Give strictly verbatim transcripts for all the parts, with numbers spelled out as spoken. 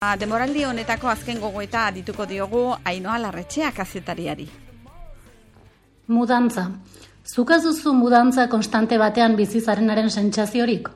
Demoraldi honetako azken gogoeta adituko diogu Ainhoa Larretxea kazetariari. Mudantza. Zuk ez duzu mudantza konstante batean bizi zarenaren sentsaziorik?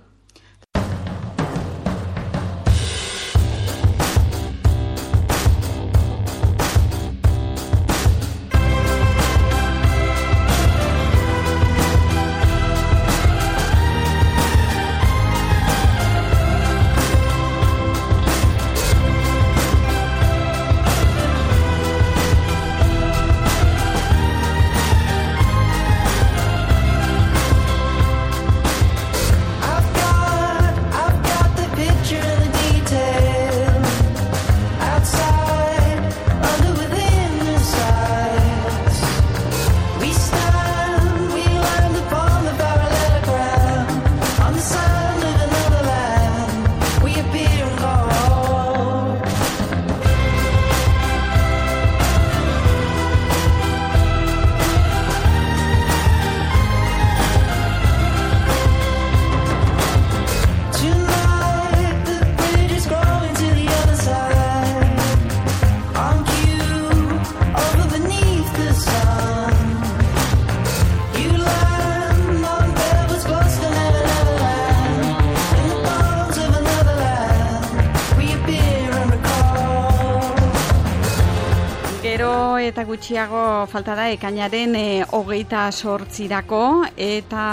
Eta gutxiago falta da ekainaren e, hogeita sortzirako eta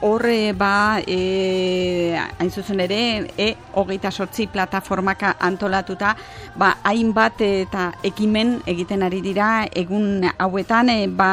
horre ba e, hain zuzen ere e, hogeita sortzi plataformaka antolatuta ba hainbat eta ekimen egiten ari dira egun hauetan e, ba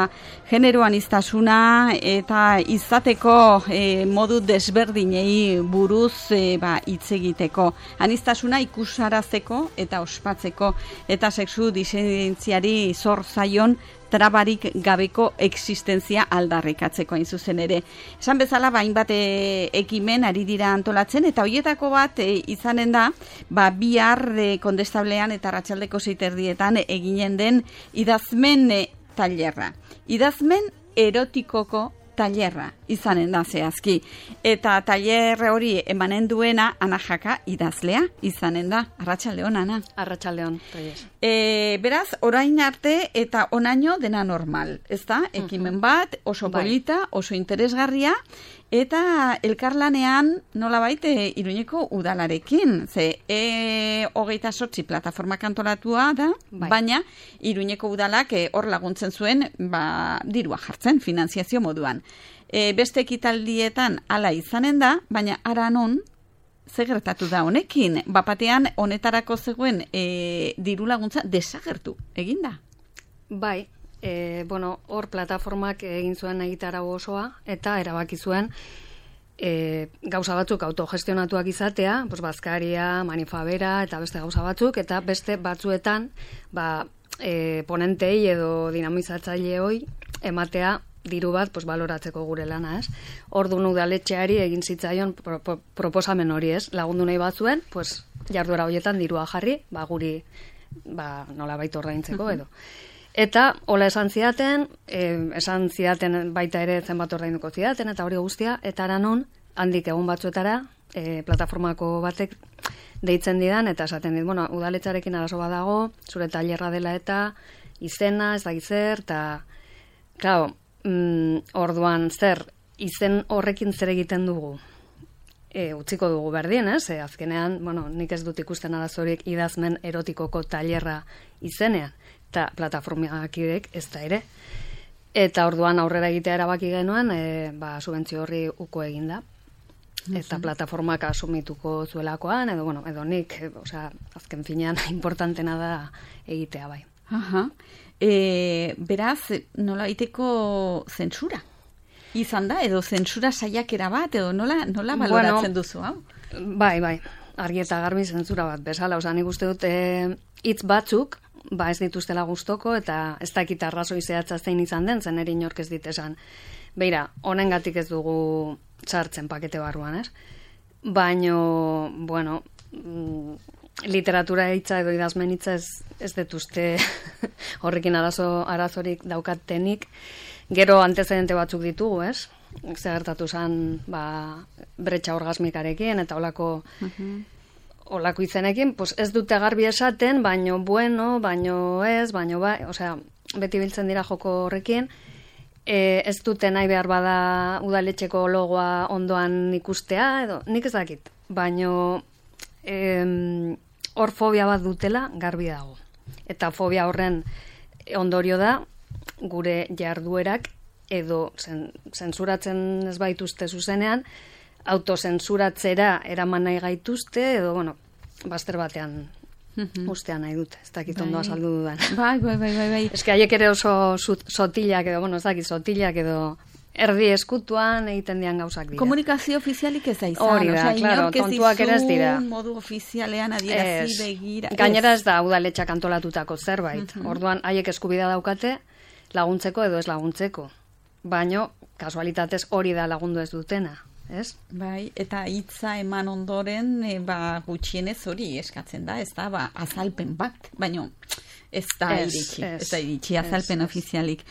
genero aniztasuna eta izateko e, modu desberdinei buruz e, ba hitz egiteko, aniztasuna ikusarazteko eta ospatzeko eta sexu disidentziari zor zaion trabarik gabeko existentzia aldarrikatzeko hain zuzen ere. Esan bezala hainbat e, ekimen ari dira antolatzen eta hoietako bat e, izanen da ba bihar e, Kondestablean eta arratsaldeko sei erdietan eginen den idazmen e, tailerra. Idazmen erotikoko tailerra izanen da zehazki. Eta tailer hori emanen duena Ana Jaka idazlea izanen da. Arratsaldeon, Ana. Arratsaldeon, Reyes. E, beraz, orain arte eta onaino dena normal, ezta? Ekimen bat, oso polita, oso interesgarria, eta elkarlanean nolabait e, Iruñeko udalarekin. Ze e, hogeita sortzi plataformak antolatua da, bai. Baina Iruñeko udalak e, hor laguntzen zuen ba, dirua jartzen, finanziazio moduan. E, beste ekitaldietan hala izanen da, baina ara non ze gertatu da honekin? Bapatean honetarako zegoen e, diru laguntza desagertu eginda. Bai, e, bueno, hor plataformak egin zuen egitarau osoa eta erabaki zuen e, gauza batzuk autogestionatuak izatea, pues bazkaria, manifabera eta beste gauza batzuk, eta beste batzuetan ba, e, ponentei edo dinamizatzaileoi ematea diru bat pues, baloratzeko gure lana, ez? Orduan udaletxeari egin zitzaion pro, pro, proposamen hori, ez? Lagundu nahi batzuen, pues, jarduera horietan dirua jarri, ba, guri ba, nola baita ordaintzeko edo. Eta, hola esan zidaten, eh, esan zidaten baita ere zenbat ordainduko zidaten, eta hori guztia, eta aranon, handik egun batzuetara, eh, plataformako batek deitzen didan, eta esaten dit, bueno, udaletxarekin arazo badago, zure tailerra dela eta izena, ez da gizer, eta, claro, Mm, orduan zer, izen horrekin zer egiten dugu e, utziko dugu berdin, ez? E, azkenean, bueno, nik ez dut ikusten arazorik idazmen erotikoko tailerra izenean, eta plataformakidek ez da ere. Eta orduan aurrera egitea erabaki genuen, e, ba, subentzio horri uko eginda. Eta plataformak asumituko zuelakoan, edo, bueno, edo nik, e, osea, azken finean importantena da egitea bai. Aha. E, beraz, nola iteko zentsura izan da, edo zentsura saiakera bat, edo nola, nola baloratzen bueno, duzu, hau? Bai, bai, argi eta garbi zentsura bat, bezala, oza, nik uste dut hitz e, batzuk, ba ez dituztela gustoko, eta ez dakit arrazoi zehatza zein izan den, zen eri inork ez dit esan. Beira, honengatik ez dugu sartzen pakete barruan, ez? Baino, bueno, literatura hitza edo idazmen hitza ez, ez detuzte horrekin arazo, arazorik daukatenik. Gero antezedente batzuk ditugu, ez? Zer gertatu zen ba, bretxa orgasmikarekin eta holako uh-huh. olako izenekin, pues ez dute garbi esaten, baino bueno, baino ez, baino bai, osea, beti biltzen dira joko horrekin, e, ez dute nahi behar bada udaletxeko logoa ondoan ikustea, edo nik ez dakit, baino em, hor fobia bat dutela garbi dago. Eta fobia horren ondorio da, gure jarduerak edo zen, zentsuratzen ez baituzte zuzenean, autozentsuratzera eraman nahi gaituzte, edo, bueno, bazter batean ustean nahi dute, ez dakit ondo azaldu dudan. Bai, bai, bai, bai, bai. Ez que haiek ere oso sotilak edo, bueno, ez dakit, sotilak edo erdi eskutuan egiten dian gauzak dira. Komunikazio ofizialik ez da izan. Hori da, claro, tontuak ere ez dira. Modu ofizialean adierazi begira. Gainera ez da udaletxak antolatutako zerbait. Orduan, haiek eskubidea daukate laguntzeko edo ez laguntzeko. Baino, kasualitatez hori da lagundu ez dutena. Ez? Bai, eta hitza eman ondoren, e, ba, gutxienez hori eskatzen da, ez da, ba, azalpen bat, baino ez da Ez, iritsi, ez, ez da iritsi, azalpen ez, ez. ofizialik.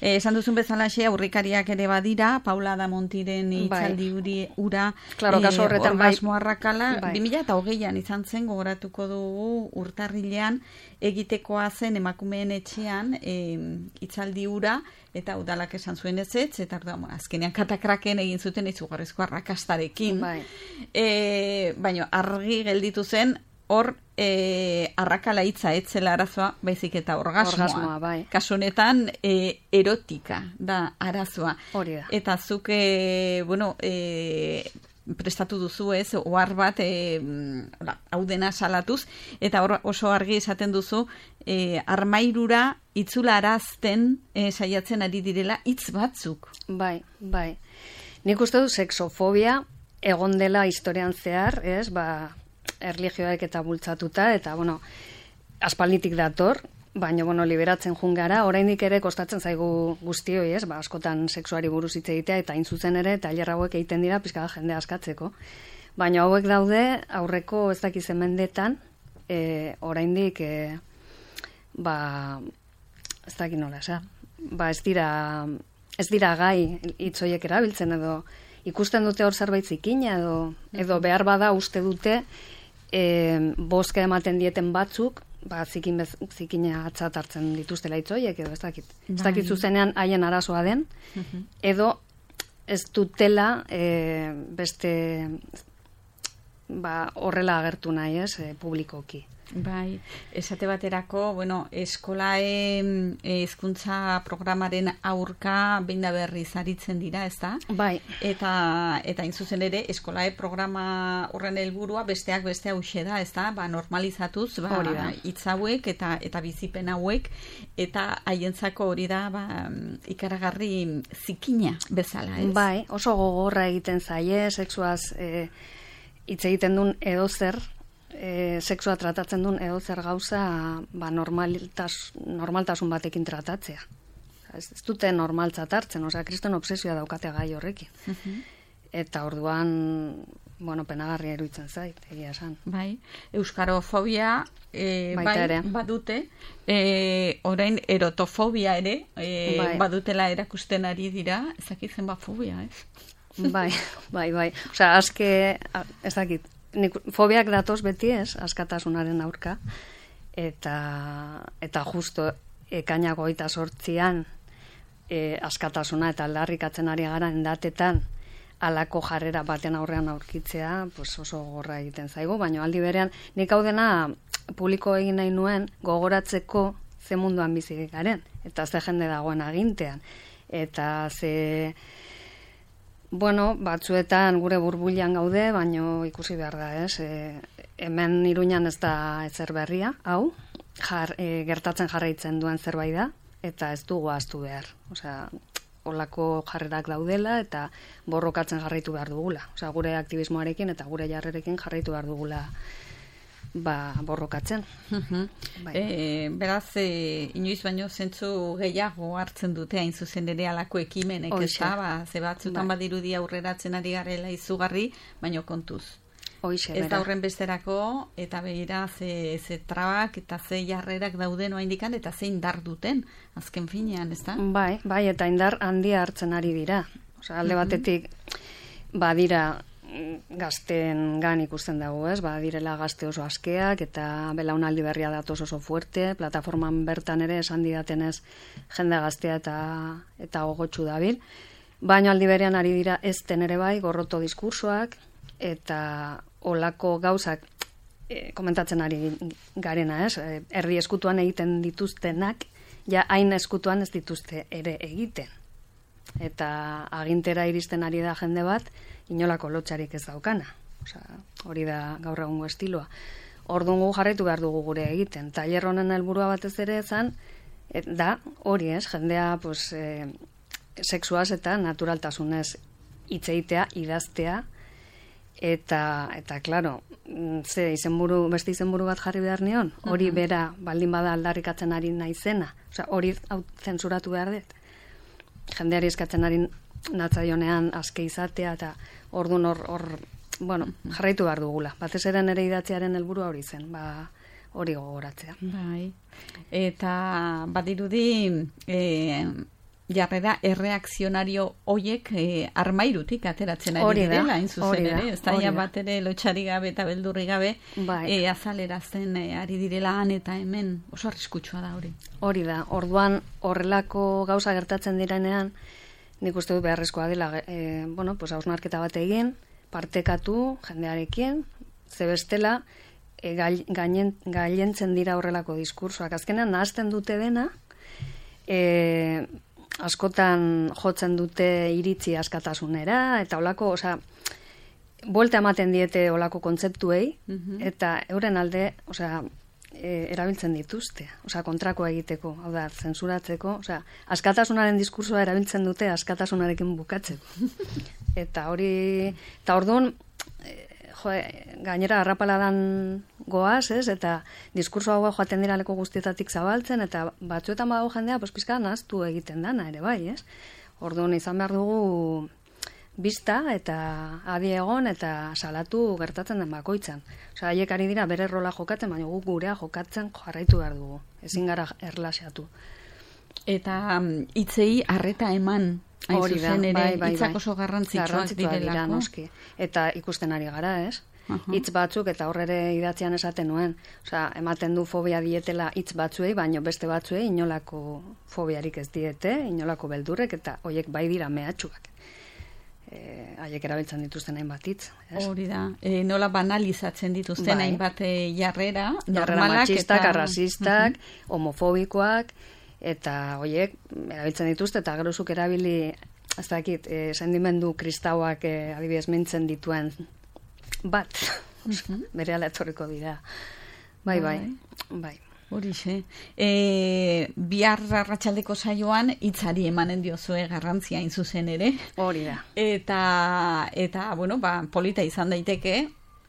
E, esan duzun bezalaxe, aurrikariak ere badira, Paula da Montiren hitzaldi uri ura, Claro, kasu horretan bai. orgasmo arrakala, Bai. bi mila hogeian izan zen, gogoratuko dugu urtarrilean, egitekoa zen emakumeen etxean hitzaldi ura, eta udalak esan zuen ez ez, eta bueno, azkenean katakraken egin zuten izugarrizko arrakastarekin. Bai. E, baina argi gelditu zen, hor e, arrakala hitza etzela arazoa, baizik eta orgasmoa. Orgasmoa, bai. Kasu honetan, e, erotika da arazoa. Hori da. Eta zuk, e, bueno, e, prestatu duzu ez, ohar bat e, hau dena salatuz, eta hor oso argi esaten duzu, e, armairura itzularazten e, saiatzen ari direla hitz batzuk. Bai, bai. Nik uste du sexofobia egon dela historian zehar, ez, ba, erlijioek eta bultzatuta, eta, bueno, aspalditik dator, baina, bueno, liberatzen jungara, oraindik ere kostatzen zaigu guztioi, ez, ba, askotan sexuari buruz hitz egitea, eta hain zuzen ere, tailer hauek egiten dira, pizka da jende askatzeko. Baina hauek daude, aurreko ez dakizen mendetan, e, oraindik, e, ba, ez dakit nola, eza, ba, ez dira, ez dira gai hitzoiek erabiltzen, edo ikusten dute hor zerbait zikina, edo, edo behar bada uste dute, e, bozka ematen dieten batzuk, ba, zikin bez, zikina atzat hartzen dituztela hitzoiek, edo ez dakit. Ez dakit zuzenean haien arazoa den, edo ez dutela e, beste ba, horrela agertu nahi, ez, e, publikoki. Bai, esate baterako, bueno, eskolae hezkuntza programaren aurka behin da berriz aritzen dira, ez da? Bai. Eta, eta inzuzen ere, eskolae programa horren helburua besteak beste hauxe da, ez da? Ba, normalizatuz, ba, hitz hauek eta, eta bizipen hauek, eta haientzako hori da, ba, ikaragarri zikina bezala, ez? Bai, oso gogorra egiten zaie, sexuaz e, hitz egiten duen edozer, E, sexua tratatzen duen edo zer gauza ba, normaltas, normaltasun batekin tratatzea. Ez, ez dute normaltzat hartzen, osea, kriston obsesioa daukate gai horrekin. Uh-huh. Eta orduan, bueno, penagarria eruditzen zait, egia esan. Bai, euskarofobia e, bai, ere. badute, e, orain erotofobia ere, e, bai. badutela erakusten ari dira, ezakitzen ba fobia, ez? Bai, bai, bai. Osea, aske, ez dakit, nik, fobiak datoz beti ez, askatasunaren aurka, eta, eta justo ekainak hogeita zortzian e, askatasuna eta aldarrikatzen ari gara endatetan alako jarrera baten aurrean aurkitzea, pues oso gorra egiten zaigu, baina aldi berean nik hau dena publiko egin nahi nuen gogoratzeko ze munduan bizi garen, eta ze jende dagoen agintean, eta ze... Bueno, batzuetan gure burbuilan gaude, baino ikusi behar da, ez? E, hemen Iruñan ez da ezer berria, hau, jar, e, gertatzen jarraitzen duen zerbait da, eta ez dugu ahaztu behar. Osea, olako jarrerak daudela, eta borrokatzen jarraitu behar dugula. Osea, gure aktivismoarekin eta gure jarrerekin jarraitu behar dugula ba, borrokatzen. Uh-huh. Bai. E, beraz, e, inoiz baino zentzu gehiago hartzen dute hain zuzen ere alako ekimenek, ez da, ba, ze batzutan bai. Badirudi aurreratzen ari garela izugarri, baino kontuz. Hoixe, ez da horren besterako, eta begira ze, ze trabak eta ze jarrerak dauden oaindikan, eta ze indar duten, azken finean, ez da? Bai, bai, eta indar handia hartzen ari dira. Osea, alde batetik, badira, gazten gan ikusten dago, ez? Ba, direla gazte oso askeak eta belaunaldi berria datoz oso fuerte, plataforman bertan ere esan didatenez jende gaztea eta eta gogotsu dabil. Baina aldi berean ari dira ez ere bai gorroto diskursoak eta olako gauzak e, komentatzen ari garena, ez? E, erdi eskutuan egiten dituztenak, ja hain eskutuan ez dituzte ere egiten. Eta agintera iristen ari da jende bat, inolako lotxarik ez daukana. Osea, hori da gaur egungo estiloa. Orduan gu jarraitu behar dugu gure egiten. Tailer honen helburua batez ere zan, da hori ez, jendea pues, e, sexuaz eta naturaltasunez hitz egitea, idaztea, eta, eta klaro, ze izenburu, beste izenburu bat jarri behar nion, hori bera baldin bada aldarrikatzen ari naizena, osea, hori hau zensuratu behar dut. Jendeari eskatzen ari natzaionean aske izatea, eta orduan hor, hor, bueno, jarraitu behar dugula. Batez ere nire idatziaren helburua hori zen, ba, hori gogoratzea. Bai. Eta badirudi e, jarrera erreakzionario hoiek e, armairutik ateratzen ari direla, hain zuzen ere, ez da bat ere lotxari gabe eta beldurri gabe bai. e, azalerazten e, ari direla han eta hemen, oso arriskutsua da hori. Hori da, orduan horrelako gauza gertatzen direnean, nik uste dut beharrezkoa dela, e, bueno, pues hausnarketa bat egin, partekatu jendearekin, ze bestela, e, gainen, gailentzen dira horrelako diskursoak. Azkenean nahazten dute dena, e, askotan jotzen dute iritzi askatasunera, eta olako, osea, buelta ematen diete olako kontzeptuei, mm-hmm. eta euren alde, osea, e, erabiltzen dituzte, osea, kontrako egiteko, hau da, zensuratzeko, osea, askatasunaren diskursoa erabiltzen dute askatasunarekin bukatzeko. Eta hori, eta orduan, e, jo, gainera harrapaladan goaz, ez, eta diskurso hau joaten dira leko guztietatik zabaltzen, eta batzuetan badago jendea, pues pizka naztu egiten dana ere bai, ez? Orduan izan behar dugu bista eta adi egon eta salatu gertatzen den bakoitzan. Osea, haiek ari dira bere rola jokatzen, baina guk gurea jokatzen jarraitu behar dugu. Ezin gara erlaxatu. Eta hitzei harreta eman, hain zuzen ere, bai, bai, hitzak oso garrantzitsuak direlako. Noski. Eta ikusten ari gara, ez? Hitz batzuk, eta horre idatzian esaten nuen. Osea, ematen du fobia dietela hitz batzuei, baino beste batzuei inolako fobiarik ez diete, inolako beldurrek, eta hoiek bai dira mehatxuak. E, haiek erabiltzen dituzten hainbat hitz. Hori da. E, nola banalizatzen dituzten bai. hainbat jarrera, jarrera matxistak, eta... arrazistak, uh-huh. homofobikoak, eta hoiek erabiltzen dituzte, eta gerozuk erabili, ez dakit, e, sendimendu kristauak e, adibidez mintzen dituen bat, uh-huh. bere ala etorriko dira. Bai, bai, bai. Horixe. E, bihar arratsaldeko saioan hitzari emanen diozue garrantzia hain zuzen ere. Hori da. Eta, eta bueno, ba, polita izan daiteke,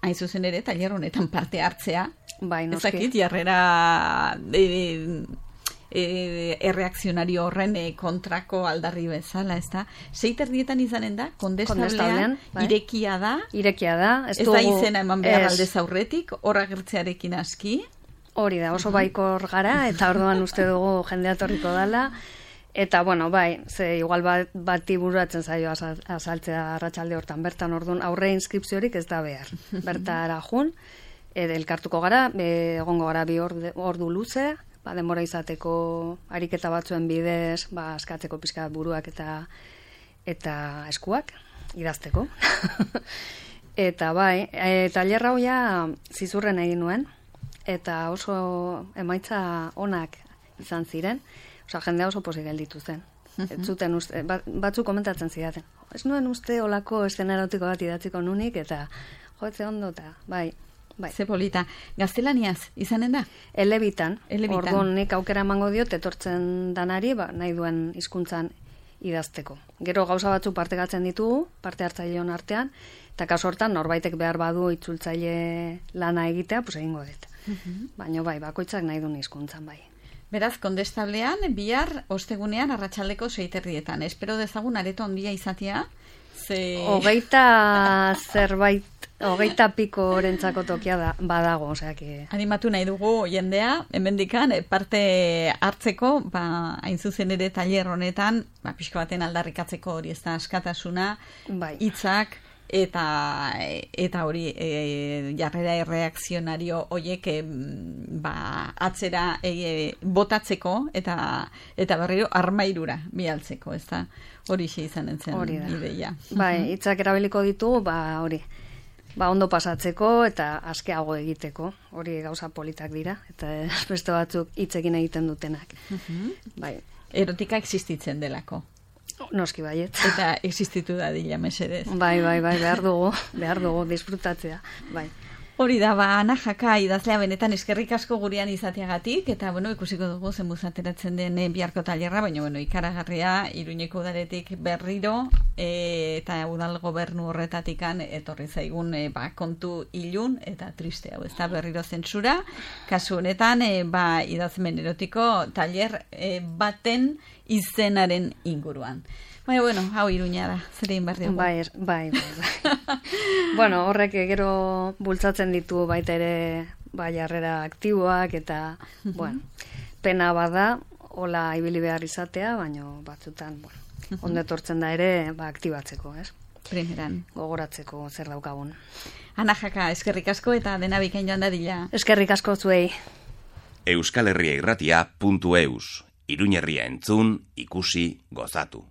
hain zuzen ere, tailer honetan parte hartzea. Bai, noski. Ezakit, jarrera e, e, erreakzionario horren e, kontrako aldarri bezala, ez da? Seiterdietan izanen da, kondestablean, bai. irekia da. Irekia da. Ez, ez dugu, da izena eman behar aldez aurretik, horra gertzearekin aski. Hori da, oso baikor gara, eta orduan uste dugu jendea torriko dela. Eta, bueno, bai, ze igual bat, bati bururatzen zaio azaltzea arratsalde hortan. Bertan, orduan, aurre inskripziorik ez da behar. Bertara jun, elkartuko gara, egongo gara bi ordu, ordu luze, ba, denbora izateko ariketa batzuen bidez, ba, askatzeko pizka buruak eta eta eskuak, idazteko. Eta, bai, e, tailer hau ja zizurren egin nuen, eta oso emaitza onak izan ziren, osea, jendea oso pozik gelditu zen. Ez zuten uste, bat, batzu komentatzen zidaten. Ez nuen uste olako eszena erotiko bat idatziko nunik, eta joetze ondo, eta bai, bai. Ze polita. Gaztelaniaz, izanen da? Elebitan. Elebitan. Orduan nik aukera emango diot, etortzen danari, ba, nahi duen hizkuntzan idazteko. Gero gauza batzu partekatzen ditugu, parte hartzaileon artean, eta kaso hortan norbaitek behar badu itzultzaile lana egitea, pues egingo dut. Uh-huh. Baina bai, bakoitzak nahi duen hizkuntzan bai. Beraz, kondestablean, bihar, ostegunean, arratsaldeko seiterdietan. Espero dezagun areto handia izatea. Ze... Hogeita zerbait, hogeita piko orentzako tokia da, badago, osea que... Animatu nahi dugu jendea, hemendikan parte hartzeko, ba, hain zuzen ere tailer honetan, ba, pixko baten aldarrikatzeko hori ez da askatasuna, bai. hitzak, eta eta hori e, jarrera erreakzionario horiek e, ba, atzera e, botatzeko eta eta berriro armairura bialtzeko, ez da? Hori xe izan entzen ideia. Bai, hitzak erabiliko ditugu, ba hori, ba ondo pasatzeko eta askeago egiteko, hori gauza politak dira, eta beste batzuk hitzekin egiten dutenak. Bai. Erotika existitzen delako. Noski baiet. Eta existitu da dila, mesedez. Bai, bai, bai, behar dugu, behar dugu, disfrutatzea, bai. Hori da, ba, Ana Jaka idazlea benetan eskerrik asko gurean izateagatik, eta, bueno, ikusiko dugu zenbuz ateratzen den biharko tailerra, baina, bueno, ikaragarria, Iruñeko udaretik berriro, e, eta udal gobernu horretatikan etorri zaigun e, ba, kontu ilun eta triste hau, ez da berriro zentsura, kasu honetan, e, ba, idazmen erotiko tailer e, baten izenaren inguruan. Baina, bueno, hau Iruña da, zer egin behar dugu. Bai, bai, bai. bai. Bueno, horrek gero bultzatzen ditu baita ere bai jarrera aktiboak eta, bueno, pena bada, hola ibili behar izatea, baina batzutan, bueno, ondo etortzen da ere, ba, aktibatzeko, ez? Primeran. Gogoratzeko zer daukagun. Ana Jaka, eskerrik asko eta dena bikain joan dadila. Eskerrik asko zuei. Euskal Herria Irratia puntu eus. Iruñerria entzun, ikusi, gozatu.